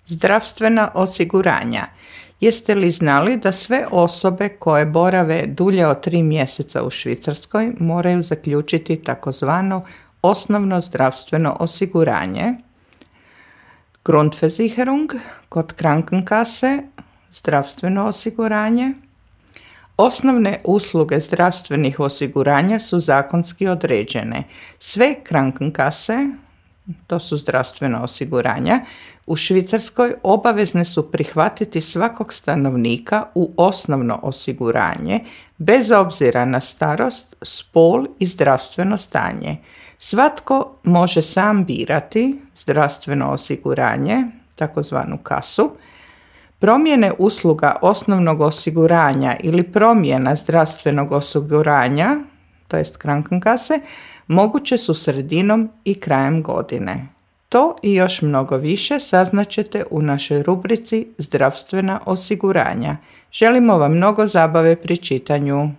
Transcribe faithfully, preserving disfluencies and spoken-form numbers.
Zdravstvena osiguranja. Jeste li znali da sve osobe koje borave dulje od tri mjeseca u Švicarskoj moraju zaključiti takozvano osnovno zdravstveno osiguranje? Grundversicherung kod Krankenkasse, zdravstveno osiguranje. Osnovne usluge zdravstvenih osiguranja su zakonski određene. Sve Krankenkasse, to su zdravstvena osiguranja, u Švicarskoj obavezne su prihvatiti svakog stanovnika u osnovno osiguranje, bez obzira na starost, spol i zdravstveno stanje. Svatko može sam birati zdravstveno osiguranje, takozvanu kasu. Promjene usluga osnovnog osiguranja ili promjena zdravstvenog osiguranja, to jest Krankenkasse, moguće su sredinom i krajem godine. To i još mnogo više saznaćete u našoj rubrici Zdravstvena osiguranja. Želimo vam mnogo zabave pri čitanju.